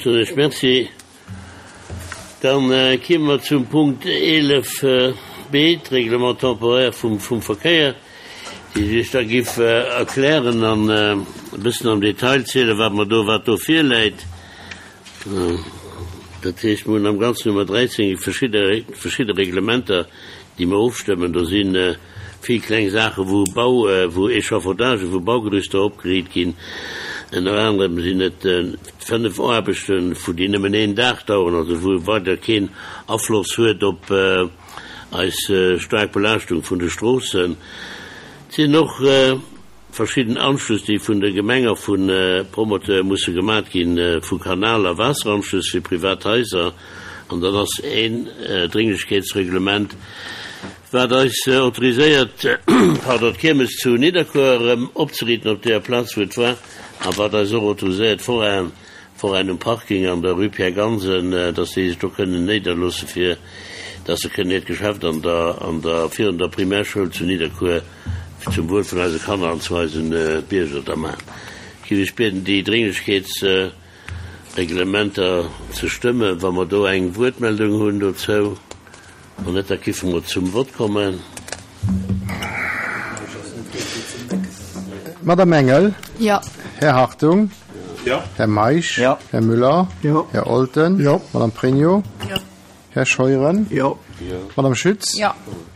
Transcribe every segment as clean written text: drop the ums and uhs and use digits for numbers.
Soen ech Merci. Dann kieme mer zum Punkt 11 b, d'Règlement temporaire vum Verkéier, déi sech da giff erklären an e bëssen am Detail zielen, wat mer do, wat do virläit. Dat heescht, mer hunn am Ganzen hu mer 13 verschidde, verschidde Reglementer, déi mer ofstëmmen. Do si vill kleng Saachen, wou Bau, wou Échafaudagen, wou Baugerüster opgeriit ginn. Ënner anerem sinn et 5 Aarbechten, vu déi nëmmen een Dag daueren, also wou weider keen Afloss huet op eis staark Belaaschtung vun de Stroossen. Et sinn och Verschidden Anschlëss, déi vun der Gemeng a vu Promoteure musse gemat ginn, vu Kanal a Waasseranschlëss fir privat Haiser. An dann ass een Dringlechkeetsreglement, wat eis autoriséiert, pardon, d'Kiermes zu Nidderkuer erëm opzeriiten op deeër Plaz, wou et war, a wat eis och autoriséiert, Forainen, Forainen um Parking an der Rue Pierre Gansen, dass déi sech do kënnen néiderloosse fir dass se kënnen hiert Geschäft an der, an der, virun der Primärschoul zu Nidderkuer zum Wuel vun eise Kanner an zu eisen Bierger da maachen. Ech géif Iech bieden, déi Dringlechkeetsreglementer ze stëmmen, wa mer do eng Wuertmeldung hunn dozou. Wann net, da kiffe mer zum Vott kommen. Madame Engel. Jo. Här Hartung. Jo. Här Meisch. Jo. Här Müller. Jo. Här Olten. Jo. Madame Pregno. Jo. Här Scheuren. Jo. Madame Schütz. Jo.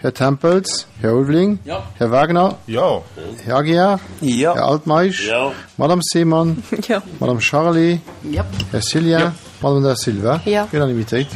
Här Tempels. Här Ulveling. Jo. Här Wagner. Jo. Här Aguiar. Jo. Här Altmeisch. Jo. Madame Seemann. Jo. Madame Charlé. Jo. Här Cillien. Jo. Madame Da Silva. Jo. Unanimitéit.